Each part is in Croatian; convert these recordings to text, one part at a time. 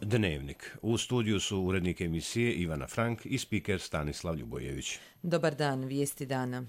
Dnevnik. U studiju su urednik emisije Ivana Frank i spiker Stanislav Ljubojević. Dobar dan, vijesti dana.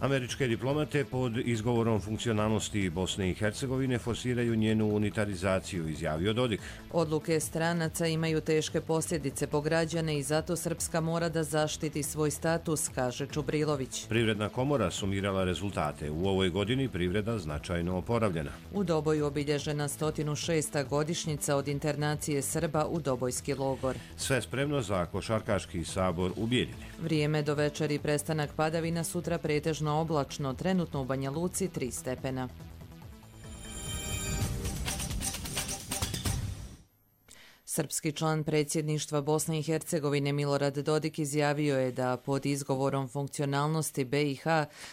Američke diplomate pod izgovorom funkcionalnosti Bosne i Hercegovine forsiraju njenu unitarizaciju, izjavio Dodik. Odluke stranaca imaju teške posljedice po građane i zato Srpska mora da zaštiti svoj status, kaže Čubrilović. Privredna komora sumirala rezultate. U ovoj godini privreda značajno oporavljena. U Doboju obilježena 106. godišnjica od internacije Srba u Dobojski logor. Sve spremno za košarkaški sabor u Bijeljini. Vrijeme do večeri, prestanak padavina, sutra pretežno oblačno, trenutno u Banja Luci 3 stepena. Srpski član predsjedništva Bosne i Hercegovine Milorad Dodik izjavio je da pod izgovorom funkcionalnosti BiH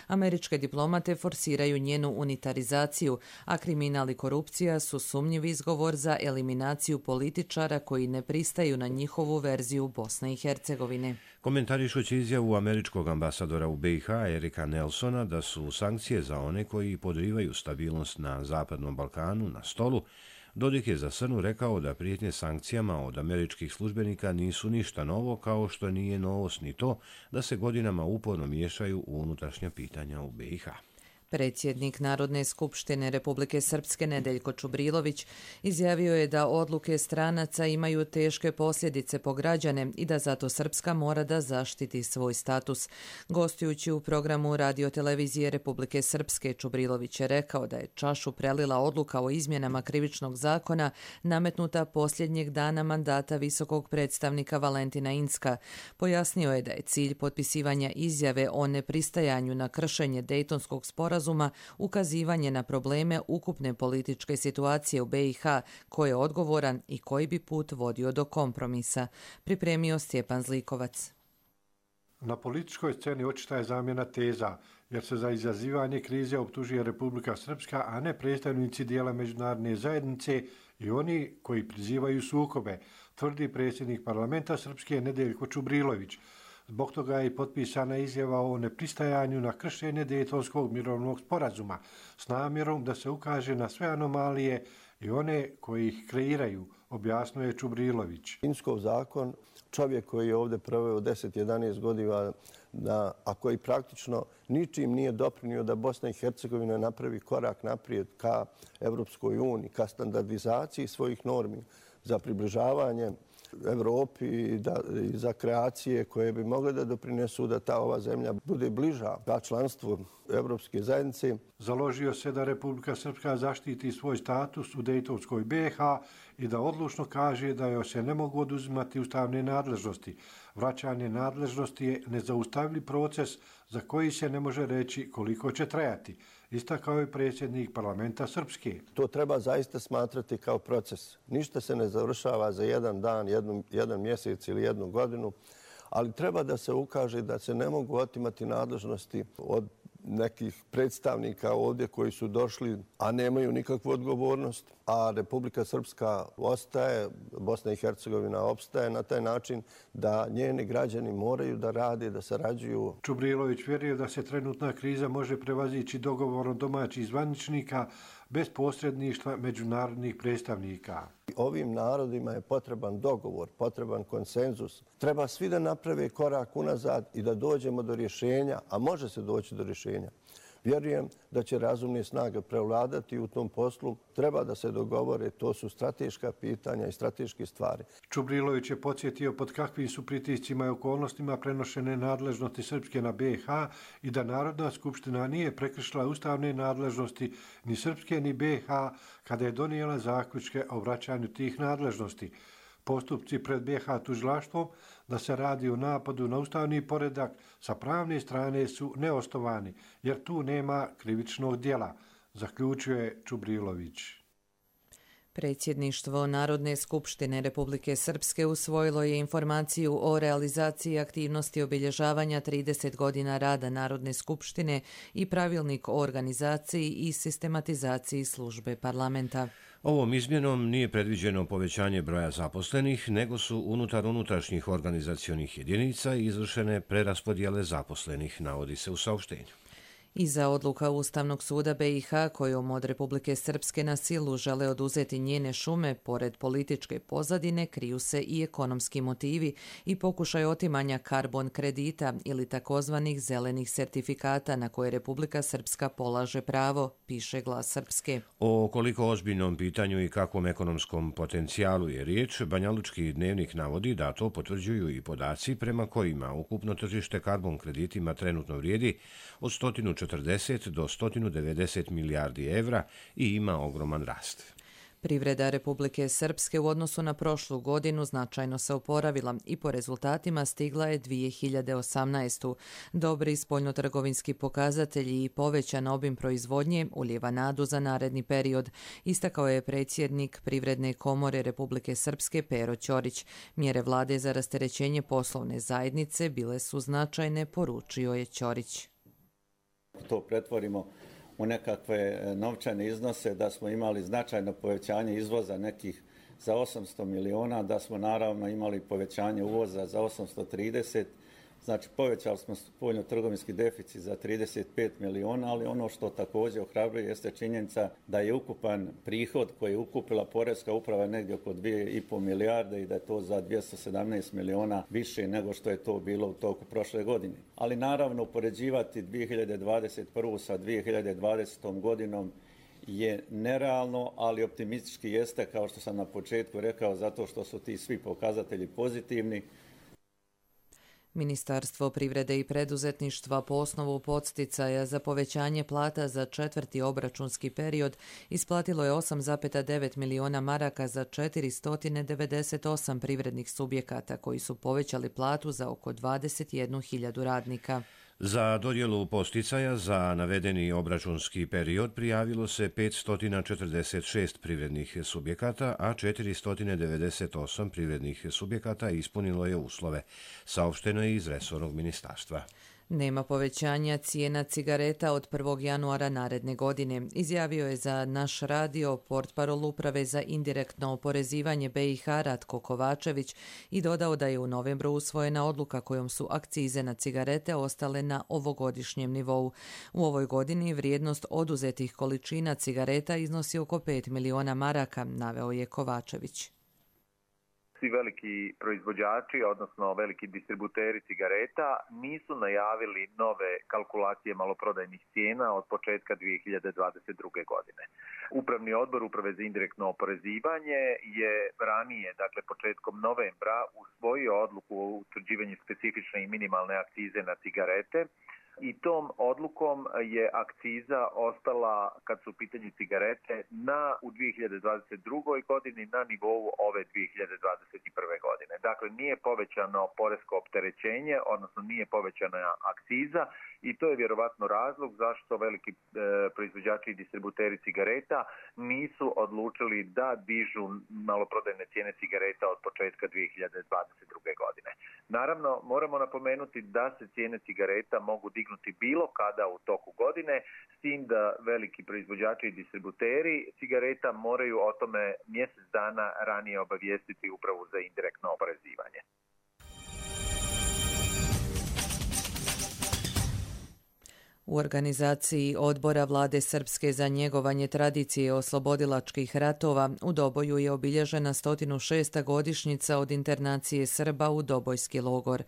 američke diplomate forsiraju njenu unitarizaciju, a kriminal i korupcija su sumnjiv izgovor za eliminaciju političara koji ne pristaju na njihovu verziju Bosne i Hercegovine. Komentarišući izjavu američkog ambasadora u BiH Erika Nelsona da su sankcije za one koji podrivaju stabilnost na Zapadnom Balkanu na stolu, Dodik je za Srnu rekao da prijetnje sankcijama od američkih službenika nisu ništa novo, kao što nije novost ni to da se godinama uporno miješaju u unutrašnja pitanja u BiH. Predsjednik Narodne skupštine Republike Srpske Nedeljko Čubrilović izjavio je da odluke stranaca imaju teške posljedice po građane i da zato Srpska mora da zaštiti svoj status. Gostujući u programu radiotelevizije Republike Srpske, Čubrilović je rekao da je čašu prelila odluka o izmjenama krivičnog zakona nametnuta posljednjeg dana mandata visokog predstavnika Valentina Incka. Pojasnio je da je cilj potpisivanja izjave o nepristajanju na kršenje Dejtonskog sporazuma ukazivanje na probleme ukupne političke situacije u BiH, ko je odgovoran i koji bi put vodio do kompromisa, pripremio Stjepan Zlikovac. Na političkoj sceni očita je zamjena teza, jer se za izazivanje krize optužuje Republika Srpska, a ne predstavnici dijela međunarodne zajednice i oni koji prizivaju sukobe, tvrdi predsjednik parlamenta Srpske Nedeljko Čubrilović. Zbog toga je i potpisana izjava o nepristajanju na kršenje Dejtonskog mirovnog sporazuma s namjerom da se ukaže na sve anomalije i one koji ih kreiraju, objasnio je Čubrilović. Inckov zakon, čovjek koji je ovdje proveo 10-11 godina, a koji praktično ničim nije doprinio da Bosna i Hercegovina napravi korak naprijed ka Evropskoj uniji, ka standardizaciji svojih normi za približavanje Evropi i za kreacije koje bi mogle da doprinesu da ova zemlja bude bliža ka članstvu Evropske zajednice. Založio se da Republika Srpska zaštiti svoj status u Dejtonskoj BiH i da odlučno kaže da joj se ne mogu oduzimati ustavne nadležnosti. Vraćanje nadležnosti je nezaustavljiv proces za koji se ne može reći koliko će trajati, istakao je predsjednik parlamenta Srpske. To treba zaista smatrati kao proces. Ništa se ne završava za jedan dan, jedan mjesec ili jednu godinu, ali treba da se ukaže da se ne mogu otimati nadležnosti od nekih predstavnika ovdje koji su došli, a nemaju nikakvu odgovornost, a Republika Srpska ostaje, Bosna i Hercegovina opstaje na taj način da njeni građani moraju da rade, da sarađuju. Čubrilović vjeruje da se trenutna kriza može prevazići dogovorom domaćih zvaničnika bez posredništva međunarodnih predstavnika. Ovim narodima je potreban dogovor, potreban konsenzus. Treba svi da naprave korak unazad i da dođemo do rješenja, a može se doći do rješenja. Vjerujem da će razumne snage prevladati u tom poslu. Treba da se dogovore, to su strateška pitanja i strateške stvari. Čubrilović je podsjetio pod kakvim su pritiscima i okolnostima prenošene nadležnosti Srpske na BiH i da Narodna skupština nije prekršila ustavne nadležnosti ni Srpske ni BiH kada je donijela zaključke o vraćanju tih nadležnosti. Postupci pred BiH tužilaštvom da se radi o napadu na ustavni poredak sa pravne strane su neosnovani, jer tu nema krivičnog djela, zaključuje Čubrilović. Predsjedništvo Narodne skupštine Republike Srpske usvojilo je informaciju o realizaciji aktivnosti obilježavanja 30 godina rada Narodne skupštine i pravilnik o organizaciji i sistematizaciji službe parlamenta. Ovom izmjenom nije predviđeno povećanje broja zaposlenih, nego su unutar unutrašnjih organizacionih jedinica izvršene preraspodjele zaposlenih, navodi se u saopštenju. Iza odluka Ustavnog suda BiH kojom od Republike Srpske na silu žele oduzeti njene šume, pored političke pozadine, kriju se i ekonomski motivi i pokušaj otimanja karbon kredita ili takozvanih zelenih sertifikata na koje Republika Srpska polaže pravo, piše Glas Srpske. O koliko ozbiljnom pitanju i kakvom ekonomskom potencijalu je riječ, Banjalučki dnevnik navodi da to potvrđuju i podaci prema kojima ukupno tržište karbon kreditima trenutno vrijedi od 140 do 190 milijardi evra i ima ogroman rast. Privreda Republike Srpske u odnosu na prošlu godinu značajno se oporavila i po rezultatima stigla je 2018. Dobri spoljnotrgovinski pokazatelji i povećan obim proizvodnje ulijeva nadu za naredni period, istakao je predsjednik Privredne komore Republike Srpske Pero Ćorić. Mjere vlade za rasterećenje poslovne zajednice bile su značajne, poručio je Ćorić. To pretvorimo u nekakve novčane iznose, da smo imali značajno povećanje izvoza nekih za 800 miliona, da smo naravno imali povećanje uvoza za 830, znači povećali smo spoljno-trgovinski deficit za 35 miliona, ali ono što također ohrabruje jeste činjenica da je ukupan prihod koji je ukupila Poreska uprava negdje oko 2,5 milijarde i da je to za 217 miliona više nego što je to bilo u toku prošle godine. Ali naravno upoređivati 2021. sa 2020. godinom je nerealno, ali optimistički jeste, kao što sam na početku rekao, zato što su ti svi pokazatelji pozitivni. Ministarstvo privrede i preduzetništva po osnovu podsticaja za povećanje plata za četvrti obračunski period isplatilo je 8,9 miliona maraka za 498 privrednih subjekata koji su povećali platu za oko 21.000 radnika. Za dodjelu posticaja za navedeni obračunski period prijavilo se 546 privrednih subjekata, a 498 privrednih subjekata ispunilo je uslove, saopšteno je iz resornog ministarstva. Nema povećanja cijena cigareta od 1. januara naredne godine, izjavio je za Naš radio portparol Uprave za indirektno oporezivanje BiH Ratko Kovačević i dodao da je u novembru usvojena odluka kojom su akcize na cigarete ostale na ovogodišnjem nivou. U ovoj godini vrijednost oduzetih količina cigareta iznosi oko 5 miliona maraka, naveo je Kovačević. Svi veliki proizvođači, odnosno veliki distributeri cigareta, nisu najavili nove kalkulacije maloprodajnih cijena od početka 2022. godine. Upravni odbor Uprave za indirektno oporezivanje je ranije, dakle početkom novembra, usvojio odluku o utvrđivanju specifične i minimalne akcize na cigarete, i tom odlukom je akciza ostala, kad su u pitanju cigarete, u 2022. godini na nivou ove 2021. godine. Dakle, nije povećano poresko opterećenje, odnosno nije povećana akciza i to je vjerovatno razlog zašto veliki proizvođači i distributeri cigareta nisu odlučili da dižu maloprodajne cijene cigareta od početka 2022. godine. Naravno, moramo napomenuti da se cijene cigareta mogu dignuti bilo kada u toku godine, s tim da veliki proizvođači i distributeri cigareta moraju o tome mjesec dana ranije obavijestiti Upravu za indirektno oporezivanje. U organizaciji Odbora vlade Srpske za njegovanje tradicije oslobodilačkih ratova u Doboju je obilježena 106. godišnjica od internacije Srba u Dobojski logor.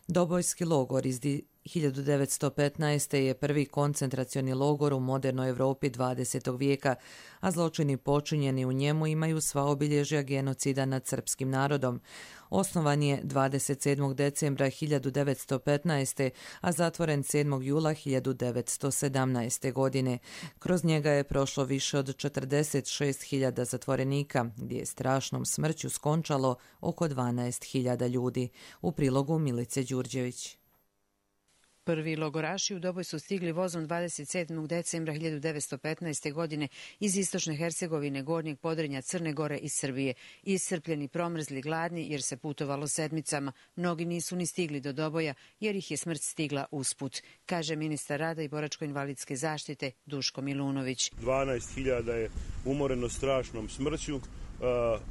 Dobojski logor iz 1915. je prvi koncentracioni logor u modernoj Europi 20. vijeka, a zločini počinjeni u njemu imaju sva obilježja genocida nad srpskim narodom. Osnovan je 27. decembra 1915. a zatvoren 7. jula 1917. godine. Kroz njega je prošlo više od 46.000 zatvorenika, gdje je strašnom smrću skončalo oko 12.000 ljudi. U prilogu Milice Đurđević. Prvi logoraši u Doboj su stigli vozom 27. decembra 1915. godine iz istočne Hercegovine, Gornjeg Podrinja, Crne Gore i Srbije. Iscrpljeni, promrzli, gladni jer se putovalo sedmicama. Mnogi nisu ni stigli do Doboja jer ih je smrt stigla usput, kaže ministar rada i boračko-invalidske zaštite Duško Milunović. 12.000 je umoreno strašnom smrću.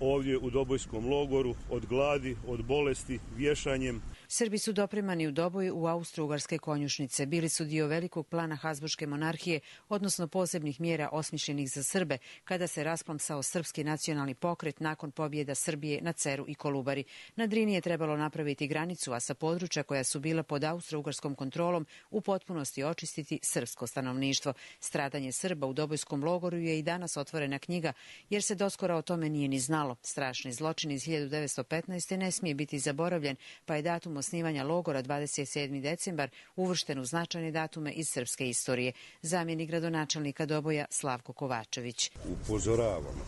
ovdje u Dobojskom logoru od gladi, od bolesti, vješanjem. Srbi su dopremani u Doboj u austro-ugarske konjušnice. Bili su dio velikog plana Habsburške monarhije, odnosno posebnih mjera osmišljenih za Srbe, kada se rasplamsao srpski nacionalni pokret nakon pobjeda Srbije na Ceru i Kolubari. Na Drini je trebalo napraviti granicu, a sa područja koja su bila pod austro-ugarskom kontrolom u potpunosti očistiti srpsko stanovništvo. Stradanje Srba u Dobojskom logoru je i danas otvorena knjiga, jer se doskora o tome nije ni znalo. Strašni zločin iz 1915. ne smije biti zaboravljen, pa je datum osnivanja logora 27. decembar uvršten u značajne datume iz srpske istorije. Zamjenik gradonačelnika Doboja Slavko Kovačević. Upozoravamo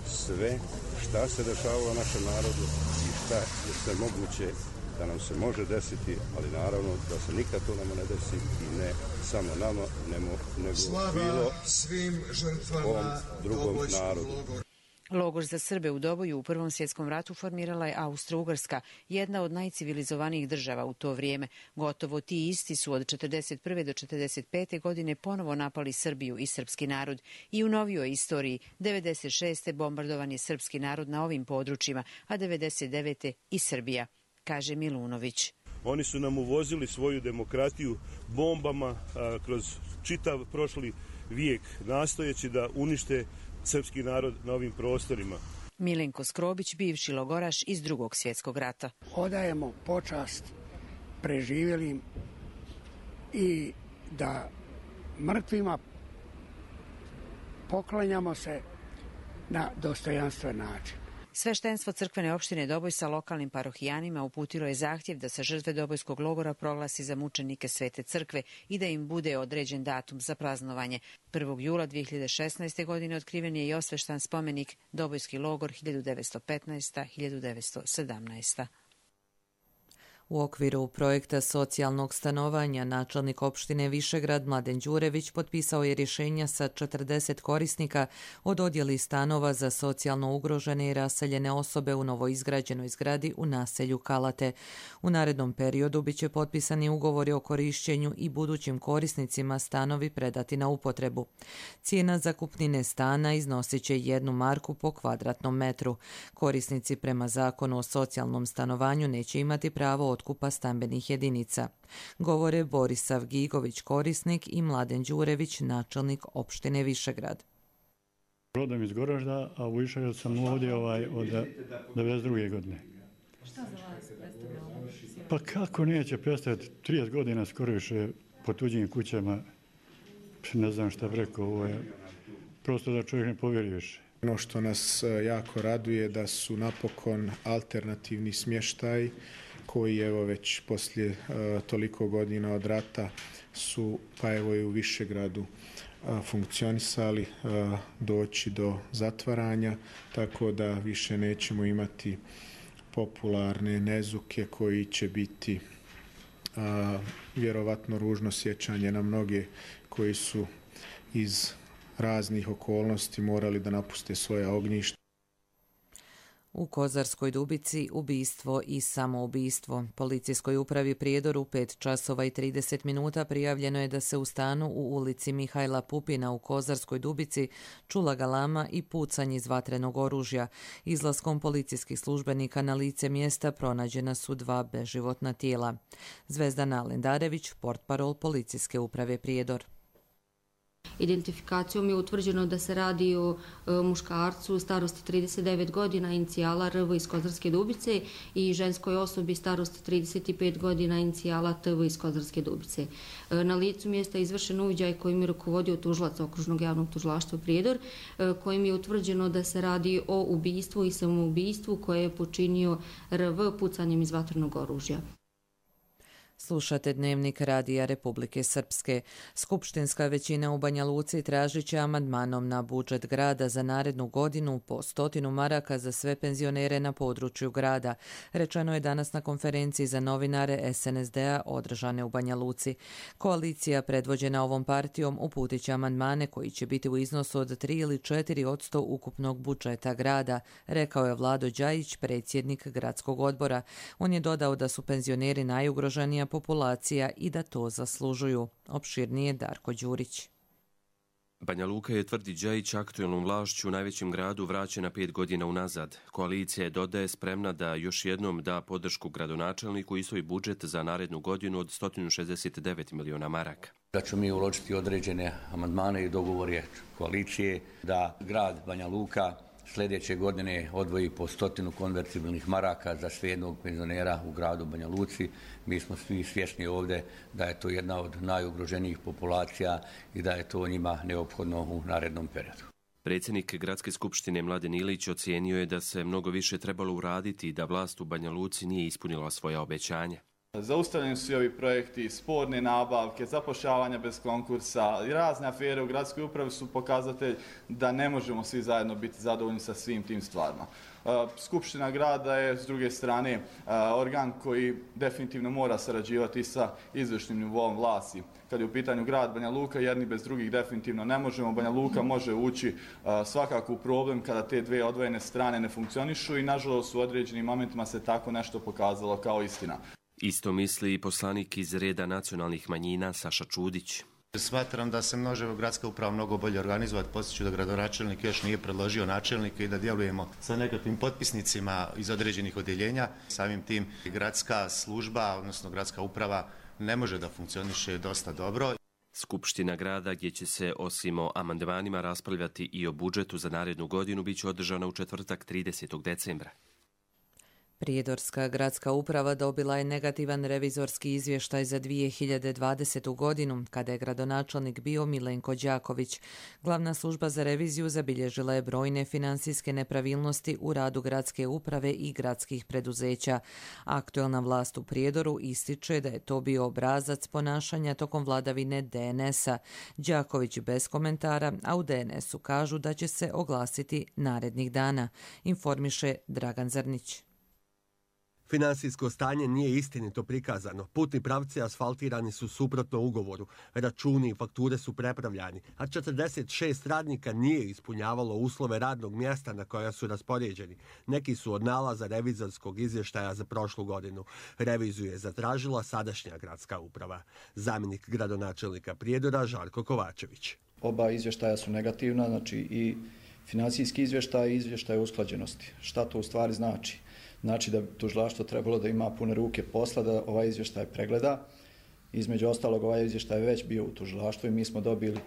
sve šta se dešavalo našem narodu i šta je sve moguće da nam se može desiti, ali naravno da se nikad to nama ne desi i ne samo nama, nego bilo svim žrtvama drugom narodu. Logor za Srbe u Doboju u Prvom svjetskom ratu formirala je Austro-Ugarska, jedna od najcivilizovanijih država u to vrijeme. Gotovo ti isti su od 1941. do 1945. godine ponovo napali Srbiju i srpski narod. I u novijoj istoriji 1996. bombardovan je srpski narod na ovim područjima, a 1999. i Srbija, kaže Milunović. Oni su nam uvozili svoju demokratiju bombama kroz čitav prošli vijek, nastojeći da unište srpski narod na ovim prostorima. Milenko Skrobić, bivši logoraš iz Drugog svjetskog rata. Odajemo počast preživjelim i da mrtvima poklanjamo se na dostojanstven način. Sveštenstvo crkvene opštine Doboj sa lokalnim parohijanima uputilo je zahtjev da se žrtve Dobojskog logora proglasi za mučenike Svete crkve i da im bude određen datum za praznovanje. 1. jula 2016. godine otkriven je i osveštan spomenik Dobojski logor 1915-1917. U okviru projekta socijalnog stanovanja načelnik opštine Višegrad Mladen Đurević potpisao je rješenja sa 40 korisnika o dodjeli stanova za socijalno ugrožene i raseljene osobe u novoizgrađenoj zgradi u naselju Kalate. U narednom periodu biće potpisani ugovori o korišćenju i budućim korisnicima stanovi predati na upotrebu. Cijena zakupnine stana iznosit će 1 marku po kvadratnom metru. Korisnici prema zakonu o socijalnom stanovanju neće imati pravo otkupa stambenih jedinica. Govore Borisav Gigović, korisnik, i Mladen Đurević, načelnik opštine Višegrad. Rodom iz Goražda, a u Višegrad sam ovdje od 92. godine. Šta za vas predstavlja ovo? Pa kako neće predstaviti 30 godina skoro više po tuđim kućama, ne znam šta bi rekao, ovo je prosto da čovjek ne povjeri više. Ono što nas jako raduje da su napokon alternativni smještaj koji evo već poslije toliko godina od rata su pa evo i u Višegradu funkcionisali, doći do zatvaranja, tako da više nećemo imati popularne nezuke koji će biti vjerovatno ružno sjećanje na mnoge koji su iz raznih okolnosti morali da napuste svoja ognjišta. U Kozarskoj Dubici ubistvo i samoubistvo. Policijskoj upravi Prijedor u 5 časova i 30 minuta prijavljeno je da se u stanu u ulici Mihajla Pupina u Kozarskoj Dubici čula galama i pucanje iz vatrenog oružja. Izlaskom policijskih službenika na lice mjesta pronađena su 2 beživotna tijela. Zvezdana Lendarević, portparol Policijske uprave Prijedor. Identifikacijom je utvrđeno da se radi o muškarcu starosti 39 godina, inicijala RV iz Kozarske Dubice, i ženskoj osobi starosti 35 godina, inicijala TV iz Kozarske Dubice. Na licu mjesta je izvršen uviđaj kojim je rukovodio tužilac Okružnog javnog tužilaštva Prijedor, kojim je utvrđeno da se radi o ubistvu i samoubistvu koje je počinio RV pucanjem iz vatrenog oružja. Slušate Dnevnik Radija Republike Srpske. Skupštinska većina u Banja Luci tražit će amandmanom na budžet grada za narednu godinu po 100 maraka za sve penzionere na području grada. Rečeno je danas na konferenciji za novinare SNSD-a održane u Banja Luci. Koalicija predvođena ovom partijom uputit će amandmane koji će biti u iznosu od 3 ili 4% ukupnog budžeta grada, rekao je Vlado Đajić, predsjednik gradskog odbora. On je dodao da su penzioneri najugroženija populacija i da to zaslužuju. Opširnije Darko Đurić. Banja Luka je, tvrdi Đajić, aktuelnom vlašću u najvećem gradu vraćena 5 godina unazad. Koalicija je, dodaje, spremna da još jednom da podršku gradonačelniku i svoj budžet za narednu godinu od 169 miliona maraka. Da ćemo mi uložiti određene amandmane i dogovore koalicije da grad Banja Luka sljedeće godine odvoji po 100 konvertibilnih maraka za svejednog penzionera u gradu Banja Luci. Mi smo svi svjesni ovdje da je to jedna od najugroženijih populacija i da je to njima neophodno u narednom periodu. Predsjednik Gradske skupštine Mladen Ilić ocijenio je da se mnogo više trebalo uraditi i da vlast u Banja Luci nije ispunila svoja obećanja. Zaustavljeni su ovi projekti, sporne nabavke, zapošljavanja bez konkursa i razne afere u gradskoj upravi su pokazatelj da ne možemo svi zajedno biti zadovoljni sa svim tim stvarima. Skupština grada je, s druge strane, organ koji definitivno mora sarađivati sa izvršnim nivoom vlasti. Kad je u pitanju grad Banja Luka, jedni bez drugih definitivno ne možemo. Banja Luka može ući svakako u problem kada te dve odvojene strane ne funkcionišu i nažalost u određenim momentima se tako nešto pokazalo kao istina. Isto misli i poslanik iz reda nacionalnih manjina Saša Čudić. Smatram da se može gradska uprava mnogo bolje organizovati. Podsjeću da gradonačelnik još nije predložio načelnika i da djelujemo sa nekakvim potpisnicima iz određenih odjeljenja. Samim tim gradska služba, odnosno gradska uprava, ne može da funkcioniše dosta dobro. Skupština grada, gdje će se osim o amandmanima raspravljati i o budžetu za narednu godinu, bit će održana u četvrtak 30. decembra. Prijedorska gradska uprava dobila je negativan revizorski izvještaj za 2020. godinu, kada je gradonačelnik bio Milenko Đaković. Glavna služba za reviziju zabilježila je brojne financijske nepravilnosti u radu gradske uprave i gradskih preduzeća. Aktuelna vlast u Prijedoru ističe da je to bio obrazac ponašanja tokom vladavine DNS-a. Đaković bez komentara, a u DNS-u kažu da će se oglasiti narednih dana, informiše Dragan Zrnić. Finansijsko stanje nije istinito prikazano. Putni pravci asfaltirani su suprotno ugovoru. Računi i fakture su prepravljani, a 46 radnika nije ispunjavalo uslove radnog mjesta na koja su raspoređeni. Neki su od nalaza revizorskog izvještaja za prošlu godinu. Reviziju je zatražila sadašnja gradska uprava. Zamjenik gradonačelnika Prijedora Žarko Kovačević. Oba izvještaja su negativna, znači i financijski izvještaj i izvještaj usklađenosti. Šta to u stvari znači? Znači da bi tužilaštvo trebalo da ima pune ruke posla da ovaj izvještaj pregleda. Između ostalog, ovaj izvještaj je već bio u tužilaštvu i mi smo dobili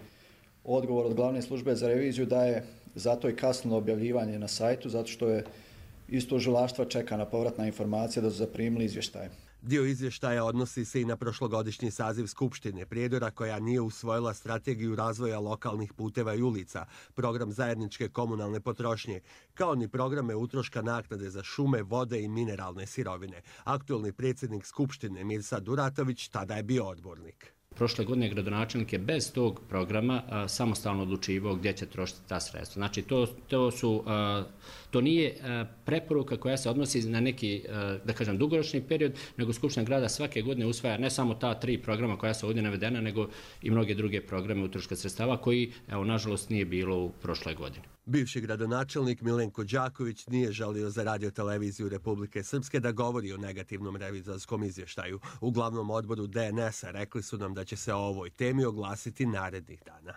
odgovor od glavne službe za reviziju da je zato i kasnilo objavljivanje na sajtu, zato što je iz tužilaštva čekana povratna informacija da su zaprimili izvještaje. Dio izvještaja odnosi se i na prošlogodišnji saziv Skupštine Prijedora, koja nije usvojila strategiju razvoja lokalnih puteva i ulica, program zajedničke komunalne potrošnje, kao ni programe utroška naknade za šume, vode i mineralne sirovine. Aktuelni predsjednik Skupštine Mirsa Duratović tada je bio odbornik. Prošle godine gradonačelnik je bez tog programa samostalno odlučivao gdje će trošiti ta sredstva. Znači to nije preporuka koja se odnosi na neki, da kažem, dugoročni period, nego Skupština grada svake godine usvaja ne samo ta 3 programa koja su ovdje navedena, nego i mnoge druge programe utroška sredstava koji, evo, nažalost nije bilo u prošloj godini. Bivši gradonačelnik Milenko Đaković nije žalio za radioteleviziju Republike Srpske da govori o negativnom revizorskom izvještaju. U glavnom odboru DNS-a rekli su nam da će se o ovoj temi oglasiti narednih dana.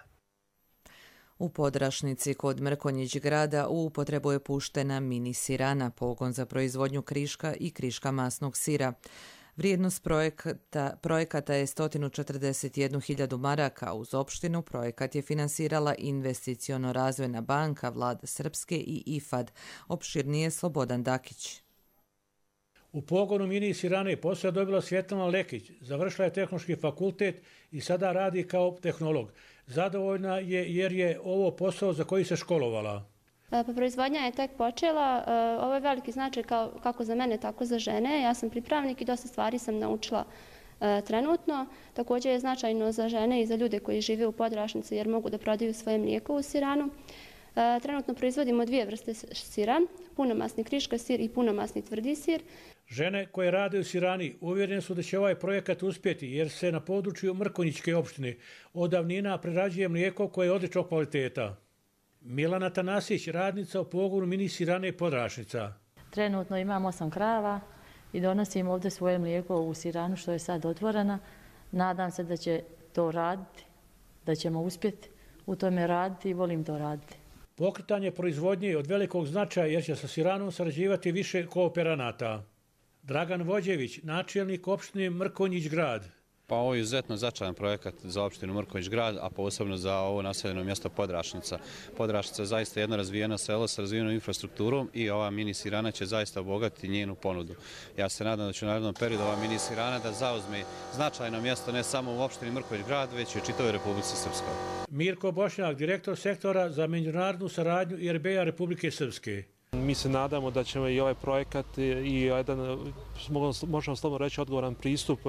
U Podrašnici kod Mrkonjić grada u upotrebu je puštena mini sirana, pogon za proizvodnju kriška i kriška masnog sira. Vrijednost projekata je 141.000 maraka. Uz opštinu projekat je finansirala Investiciono-razvojna banka, Vlada Srpske i IFAD. Opširnije Slobodan Dakić. U pogonu mini sirane posao je dobila Svjetlana Lekić. Završila je tehnološki fakultet i sada radi kao tehnolog. Zadovoljna je jer je ovo posao za koji se školovala. Pa proizvodnja je tek počela. Ovo je veliki značaj kako za mene, tako za žene. Ja sam pripravnik i dosta stvari sam naučila trenutno. Također je značajno za žene i za ljude koji žive u Podrašnici jer mogu da prodaju svoje mlijeko u siranu. Trenutno proizvodimo 2 vrste sira, punomasni kriška sir i punomasni tvrdi sir. Žene koje rade u sirani uvjerene su da će ovaj projekat uspjeti jer se na području Mrkonjićke opštine od davnina prerađuje mlijeko koje je odličnog kvaliteta. Milana Tanasić, radnica u pogonu mini sirane Podrašnica. Trenutno imam 8 krava i donosim ovdje svoje mlijeko u siranu što je sad otvorena. Nadam se da će to raditi, da ćemo uspjeti u tome raditi i volim to raditi. Pokretanje proizvodnje je od velikog značaja jer će sa Siranom sarađivati više kooperanata. Dragan Vođević, načelnik opštine Mrkonjić Grad. Pa ovo je izuzetno značajan projekat za opštinu Mrkonjić Grad, a posebno za ovo naseljeno mjesto Podrašnica. Podrašnica je zaista jedno razvijeno selo sa razvijenom infrastrukturom i ova mini Sirana će zaista obogatiti njenu ponudu. Ja se nadam da će u narednom periodu ova mini Sirana da zauzme značajno mjesto ne samo u opštini Mrkonjić Grad, već i u čitavoj Republici Srpskoj. Mirko Bošnjak, direktor sektora za međunarodnu saradnju IRB-a Republike Srpske. Mi se nadamo da ćemo i ovaj projekat i jedan, možemo slobodno reći, odgovoran pristup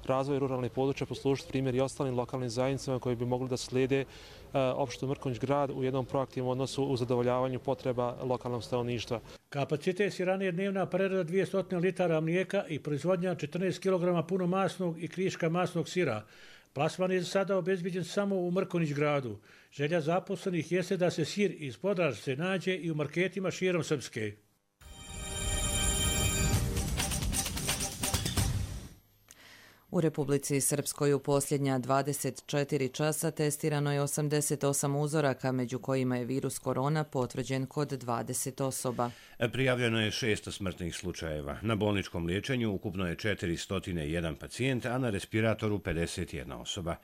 razvoju ruralnih područja poslužiti primjer i ostalim lokalnim zajednicama koji bi mogli da slijede opštinu Mrkonjić Grad u jednom proaktivnom odnosu u zadovoljavanju potreba lokalnog stanovništva. Kapacitet Sirane je dnevna prerada 200 litara mlijeka i proizvodnja 14 kg punomasnog i kriška masnog sira. Plasman je sada obezbiđen samo u Mrkonjić Gradu. Želja zaposlenih jeste da se sir iz Podrašce nađe i u marketima širom Srpske. U Republici Srpskoj u posljednja 24 časa testirano je 88 uzoraka, među kojima je virus korona potvrđen kod 20 osoba. Prijavljeno je 600 smrtnih slučajeva. Na bolničkom liječenju ukupno je 401 pacijent, a na respiratoru 51 osoba.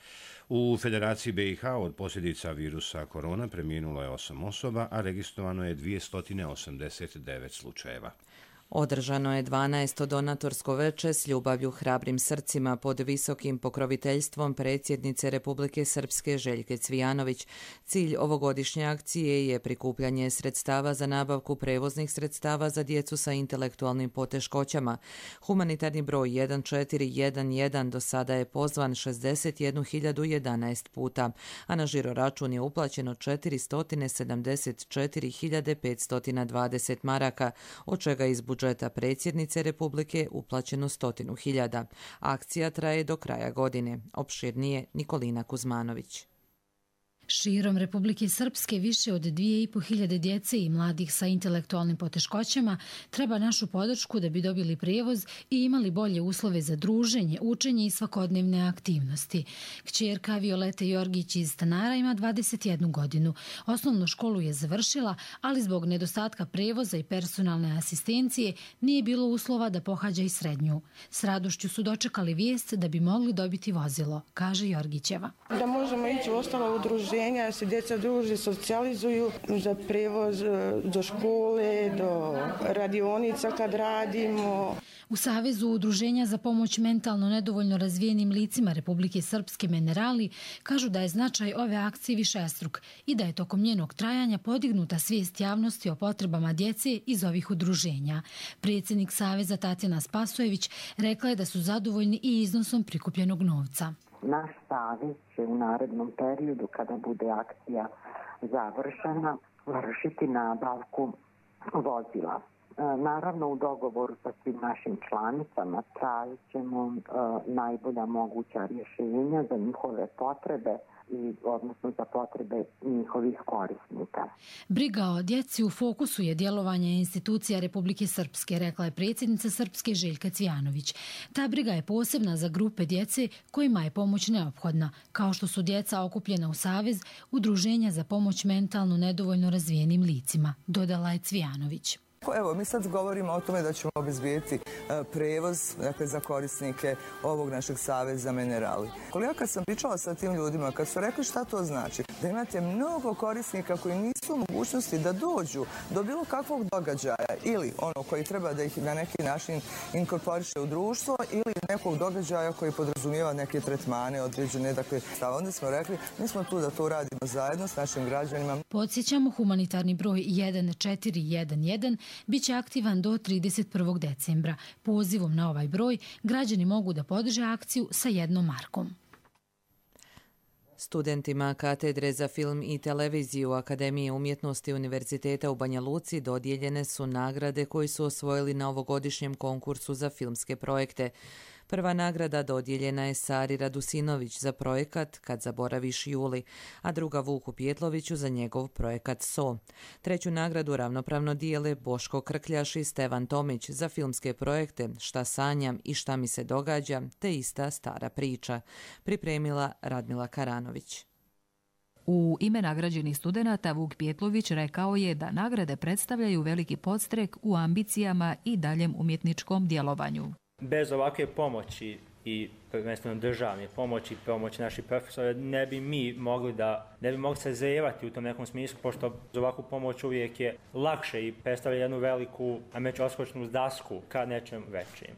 U Federaciji BiH od posljedica virusa korona preminulo je 8 osoba, a registrovano je 289 slučajeva. Održano je 12. donatorsko veče s ljubavlju hrabrim srcima pod visokim pokroviteljstvom predsjednice Republike Srpske Željke Cvijanović. Cilj ovogodišnje akcije je prikupljanje sredstava za nabavku prevoznih sredstava za djecu sa intelektualnim poteškoćama. Humanitarni broj 1411 do sada je pozvan 61.011 puta, a na žiroračun je uplaćeno 474.520 maraka, od čega iz budžeta predsjednice Republike uplaćeno 100.000. Akcija traje do kraja godine. Opširnije Nikolina Kuzmanović. Širom Republike Srpske više od 2.500 djece i mladih sa intelektualnim poteškoćama treba našu podršku da bi dobili prijevoz i imali bolje uslove za druženje, učenje i svakodnevne aktivnosti. Kćerka Violete Jorgić iz Stanara ima 21 godinu. Osnovnu školu je završila, ali zbog nedostatka prijevoza i personalne asistencije nije bilo uslova da pohađa i srednju. S radošću su dočekali vijest da bi mogli dobiti vozilo, kaže Jorgićeva. Da možemo ići u ostalo udruženja, se djeca druže, socijalizuju za prevoz do škole, do radionica kad radimo. U Savezu udruženja za pomoć mentalno nedovoljno razvijenim licima Republike Srpske Minerali kažu da je značaj ove akcije višestruk i da je tokom njenog trajanja podignuta svijest javnosti o potrebama djece iz ovih udruženja. Predsjednik Saveza Tatjana Spasojević rekla je da su zadovoljni i iznosom prikupljenog novca. Naš savez će u narednom periodu, kada bude akcija završena, vršiti nabavku vozila. Naravno, u dogovoru sa svim našim članicama tražit ćemo najbolja moguća rješenja za njihove potrebe i odnosno za potrebe njihovih korisnika. Briga o djeci u fokusu je djelovanje institucija Republike Srpske, rekla je predsjednica Srpske Željka Cvijanović. Ta briga je posebna za grupe djece kojima je pomoć neophodna, kao što su djeca okupljena u Savez Udruženja za pomoć mentalno nedovoljno razvijenim licima, dodala je Cvijanović. Evo, mi sad govorimo o tome da ćemo obezbijeti prevoz za korisnike ovog našeg Saveza Minerali. Koliko kad sam pričala sa tim ljudima, kad su rekli šta to znači, da imate mnogo korisnika koji nisu u mogućnosti da dođu do bilo kakvog događaja ili ono koji treba da ih na neki način inkorporiše u društvo ili nekog događaja koji podrazumijeva neke tretmane određene. Dakle, onda smo rekli, mi smo tu da to radimo zajedno s našim građanima. Podsjećamo, humanitarni broj 1411 biće aktivan do 31. decembra. Pozivom na ovaj broj građani mogu da podrže akciju sa 1 markom. Studentima Katedre za film i televiziju Akademije umjetnosti Univerziteta u Banja Luci dodijeljene su nagrade koji su osvojili na ovogodišnjem konkursu za filmske projekte. Prva nagrada dodijeljena je Sari Radusinović za projekat Kad zaboraviš Juli, a druga Vuku Pjetloviću za njegov projekat So. Treću nagradu ravnopravno dijele Boško Krkljaš i Stevan Tomić za filmske projekte Šta sanjam i Šta mi se događa, te Ista stara priča. Pripremila Radmila Karanović. U ime nagrađenih studenata Vuk Pjetlović rekao je da nagrade predstavljaju veliki podstrek u ambicijama i daljem umjetničkom djelovanju. Bez ovakve pomoći i prvenstveno državne pomoći naših profesora ne bi mogli se zajevati u tom nekom smislu, pošto za ovakvu pomoć uvijek je lakše i predstavlja jednu veliku, odskočnu dasku ka nečem većim.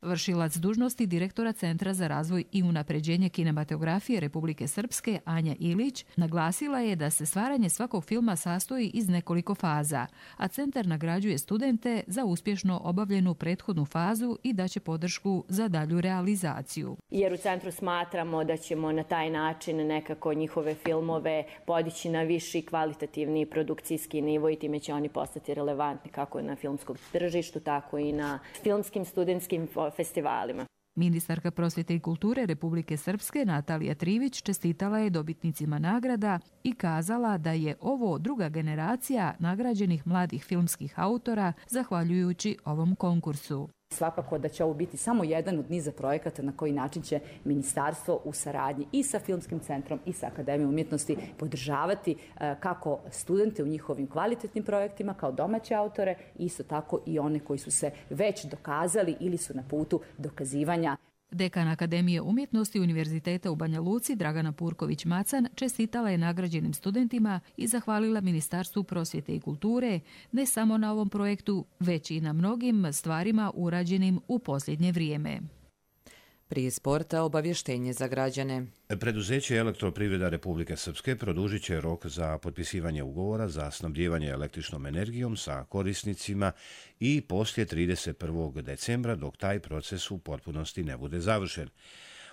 Vršilac dužnosti direktora Centra za razvoj i unapređenje kinematografije Republike Srpske Anja Ilić naglasila je da se stvaranje svakog filma sastoji iz nekoliko faza, a centar nagrađuje studente za uspješno obavljenu prethodnu fazu i daće podršku za dalju realizaciju. Jer u centru smatramo da ćemo na taj način nekako njihove filmove podići na viši kvalitativni produkcijski nivo i time će oni postati relevantni kako na filmskom tržištu, tako i na filmskim studentskim festivalima. Ministarka prosvjete i kulture Republike Srpske Natalija Trivić čestitala je dobitnicima nagrada i kazala da je ovo druga generacija nagrađenih mladih filmskih autora zahvaljujući ovom konkursu. Svakako da će ovo biti samo jedan od niza projekata na koji način će ministarstvo u saradnji i sa Filmskim centrom i sa Akademijom umjetnosti podržavati kako studente u njihovim kvalitetnim projektima kao domaće autore, isto tako i one koji su se već dokazali ili su na putu dokazivanja. Dekan Akademije umjetnosti Univerziteta u Banja Luci Dragana Purković-Macan čestitala je nagrađenim studentima i zahvalila Ministarstvu prosvjete i kulture ne samo na ovom projektu, već i na mnogim stvarima urađenim u posljednje vrijeme. Prije sporta obavještenje za građane. Preduzeće Elektroprivreda Republike Srpske produžit će rok za potpisivanje ugovora za snabdijevanje električnom energijom sa korisnicima i poslije 31. decembra dok taj proces u potpunosti ne bude završen.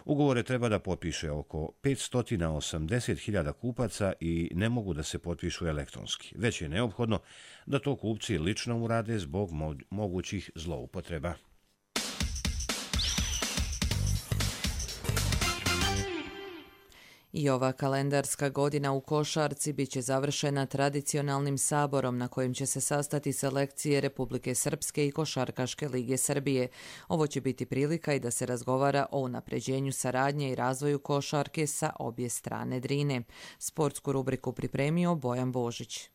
Ugovore treba da potpiše oko 580.000 kupaca i ne mogu da se potpišu elektronski, već je neophodno da to kupci lično urade zbog mogućih zloupotreba. I ova kalendarska godina u košarci bit će završena tradicionalnim saborom na kojem će se sastati selekcije Republike Srpske i Košarkaške lige Srbije. Ovo će biti prilika i da se razgovara o unapređenju saradnje i razvoju košarke sa obje strane Drine. Sportsku rubriku pripremio Bojan Božić.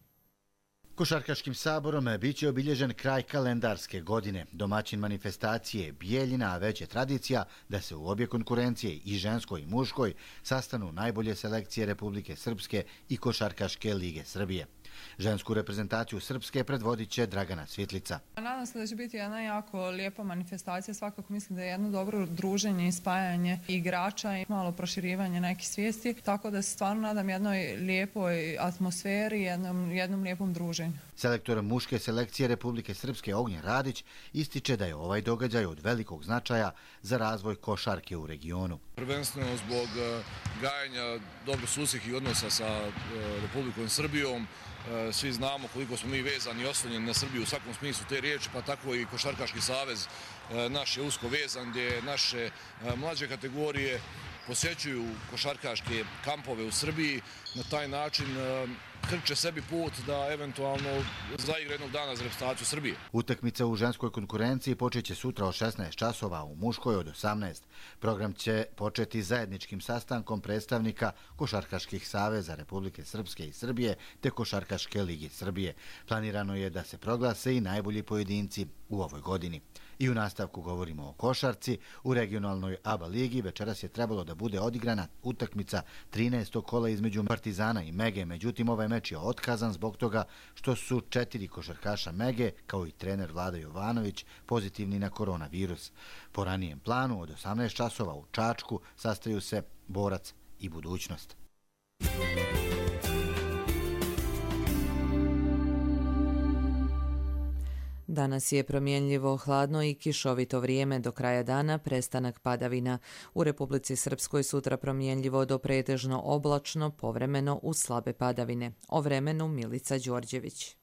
Košarkaškim saborom biće obilježen kraj kalendarske godine. Domaćin manifestacije Bijeljina, a već je tradicija da se u obje konkurencije i ženskoj i muškoj sastanu najbolje selekcije Republike Srpske i Košarkaške lige Srbije. Žensku reprezentaciju Srpske predvodit će Dragana Svitlica. Nadam se da će biti jedna jako lijepa manifestacija. Svakako mislim da je jedno dobro druženje i spajanje igrača i malo proširivanje nekih svijesti. Tako da se stvarno nadam jednoj lijepoj atmosferi, jednom lijepom druženju. Selektor muške selekcije Republike Srpske Ognjen Radić ističe da je ovaj događaj od velikog značaja za razvoj košarke u regionu. Prvenstveno zbog gajenja dobrosusjedskih odnosa sa Republikom Srbijom. Svi znamo koliko smo mi vezani i oslonjeni na Srbiju u svakom smislu te riječi, pa tako i Košarkaški savez naš je usko vezan, gdje naše mlađe kategorije posjećuju košarkaške kampove u Srbiji. Na taj način krče sebi put da eventualno zaigra jednog dana za reprezentaciju Srbije. Utakmica u ženskoj konkurenciji počeće sutra od 16 časova, u muškoj od 18. Program će početi zajedničkim sastankom predstavnika Košarkaških saveza Republike Srpske i Srbije te Košarkaške lige Srbije. Planirano je da se proglase i najbolji pojedinci u ovoj godini. I u nastavku govorimo o košarci. U regionalnoj ABA ligi večeras je trebalo da bude odigrana utakmica 13. kola između Partizana i Mege. Međutim, ovaj meč je otkazan zbog toga što su 4 košarkaša Mege, kao i trener Vlada Jovanović, pozitivni na koronavirus. Po ranijem planu od 18 časova u Čačku sastaju se Borac i Budućnost. Danas je promjenljivo, hladno i kišovito vrijeme, do kraja dana prestanak padavina. U Republici Srpskoj sutra promjenljivo do pretežno oblačno, povremeno uz slabe padavine. O vremenu Milica Đorđević.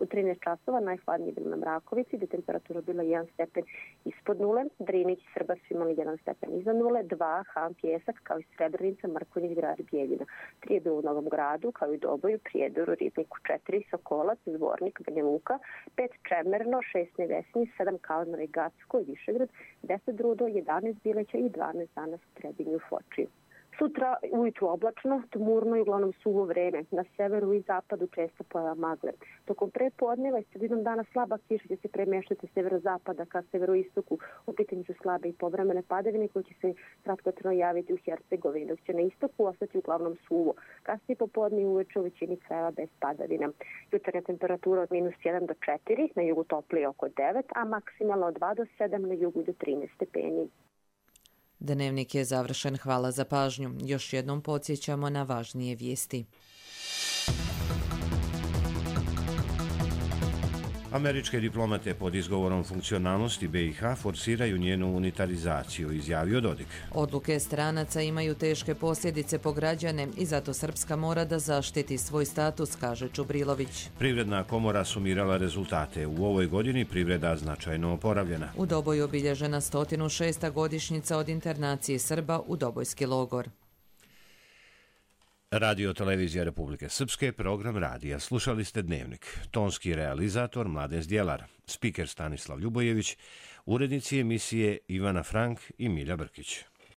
U 13 časova najhladnije bilo na Mrakovici, gdje temperatura bila 1 stepen ispod nule, Drinić i Srba su imali 1 stepen iznad nule, 2 Han, Pjesak, kao i Srebrenica, Mrkonjić, Grad, Bijeljina. 3 je bilo u Novom Gradu, kao i Doboju, Prijedoru, Ribniku, 4 Sokolac, Zvornik, Banja Luka, 5 Čemerno, 6 Nevesinji, 7 Kalmar i Gacko i Višegrad, 10 Rudo, 11 Bileća i 12 danas u Trebinju, Fočiju. Sutra ujutru oblačno, tmurno i uglavnom suvo vreme. Na severu i zapadu često pojava magle. Tokom prepodneva i sredinom dana slaba kiša će se premještati s severozapada ka severoistoku. U pitanju su slabe i povremene padavine koje će se kratkotrajno javiti u Hercegovini, dok će na istoku ostati uglavnom suvo. Kasnije popodne i uveče u većini krajeva bez padavina. Jutarnja temperatura od -1 do 4, na jugu toplije oko 9, a maksimalno od 2 do 7, na jugu do 13 stepeni. Dnevnik je završen. Hvala za pažnju. Još jednom podsjećamo na važnije vijesti. Američke diplomate pod izgovorom funkcionalnosti BiH forsiraju njenu unitarizaciju, izjavio Dodik. Odluke stranaca imaju teške posljedice po građane i zato Srpska mora da zaštiti svoj status, kaže Čubrilović. Privredna komora sumirala rezultate. U ovoj godini privreda značajno oporavljena. U Doboju obilježena 106. godišnjica od internacije Srba u Dobojski logor. Radio Televizija Republike Srpske, program radija. Slušali ste Dnevnik. Tonski realizator Mladen Zdjelar, spiker Stanislav Ljubojević, urednici emisije Ivana Frank i Milja Brkić.